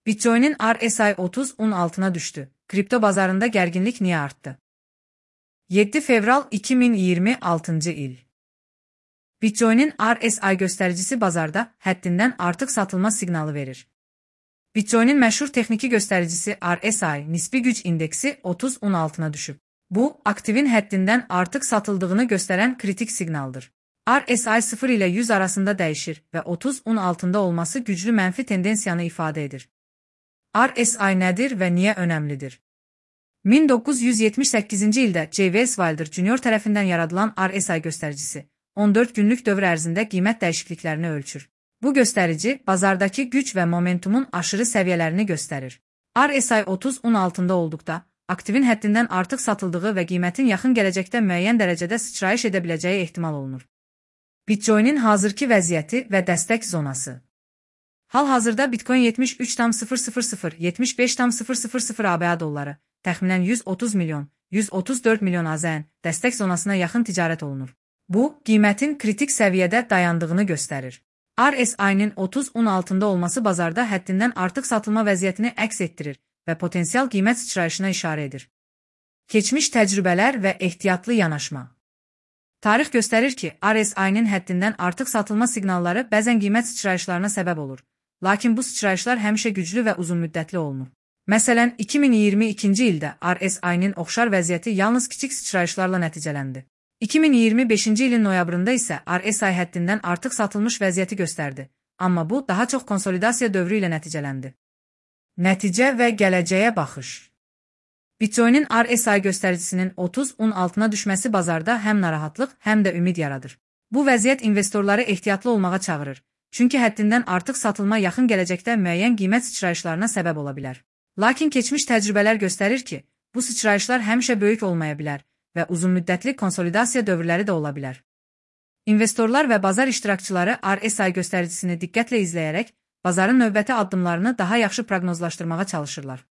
Bitcoin'in RSI 30'un altına düştü. Kripto bazarında gerginlik niye arttı? 7 fevral 2026 il. Bitcoin'in RSI göstericisi bazarda həddindən artıq satılma siqnalı verir. Bitcoin'in məşhur texniki göstericisi RSI nisbi güc indeksi 30'un altına düşüb. Bu, aktivin həddindən artıq satıldığını göstərən kritik siqnaldır. RSI 0 ilə 100 arasında dəyişir və 30'un altında olması güclü mənfi tendensiyanı ifadə edir. RSI nədir və niyə önəmlidir? 1978-ci ildə J.V. Wilder Jr. tərəfindən yaradılan RSI göstericisi 14 günlük dövr ərzində qiymət dəyişikliklərini ölçür. Bu gösterici, bazardakı güc və momentumun aşırı səviyyələrini göstərir. RSI 30'un altında olduqda, aktivin həddindən artıq satıldığı və qiymətin yaxın gələcəkdə müəyyən dərəcədə sıçrayış edə biləcəyi ehtimal olunur. Bitcoin'in hazırki vəziyyəti və dəstək zonası. Hal-hazırda Bitcoin 73,000-75,000 ABA dolları, təxminən 130 milyon, 134 milyon AZN dəstək zonasına yaxın ticarət olunur. Bu, qiymətin kritik səviyyədə dayandığını göstərir. RSI-nin 30'un altında olması bazarda həddindən artıq satılma vəziyyətini əks etdirir və potensial qiymət sıçrayışına işarə edir. Keçmiş təcrübələr və ehtiyatlı yanaşma. Tarix göstərir ki, RSI-nin həddindən artıq satılma siqnalları bəzən qiymət sıçrayışlarına səbəb olur. Lakin bu sıçrayışlar həmişə güclü və uzunmüddətli olunur. Məsələn, 2022-ci ildə RSI-nin oxşar vəziyyəti yalnız kiçik sıçrayışlarla nəticələndi. 2025-ci ilin noyabrında isə RSI həddindən artıq satılmış vəziyyəti göstərdi, amma bu daha çox konsolidasiya dövrü ilə nəticələndi. Nəticə və gələcəyə baxış. Bitcoin'in RSI göstəricisinin 30'un altına düşməsi bazarda həm narahatlıq, həm də ümid yaradır. Bu vəziyyət investorları ehtiyatlı olmağa çağırır, çünki həddindən artıq satılma yaxın gələcəkdə müəyyən qiymət sıçrayışlarına səbəb ola bilər. Lakin keçmiş təcrübələr göstərir ki, bu sıçrayışlar həmişə böyük olmaya bilər və uzunmüddətli konsolidasiya dövrləri də ola bilər. İnvestorlar və bazar iştirakçıları RSI göstəricisini diqqətlə izləyərək, bazarın növbəti addımlarını daha yaxşı proqnozlaşdırmağa çalışırlar.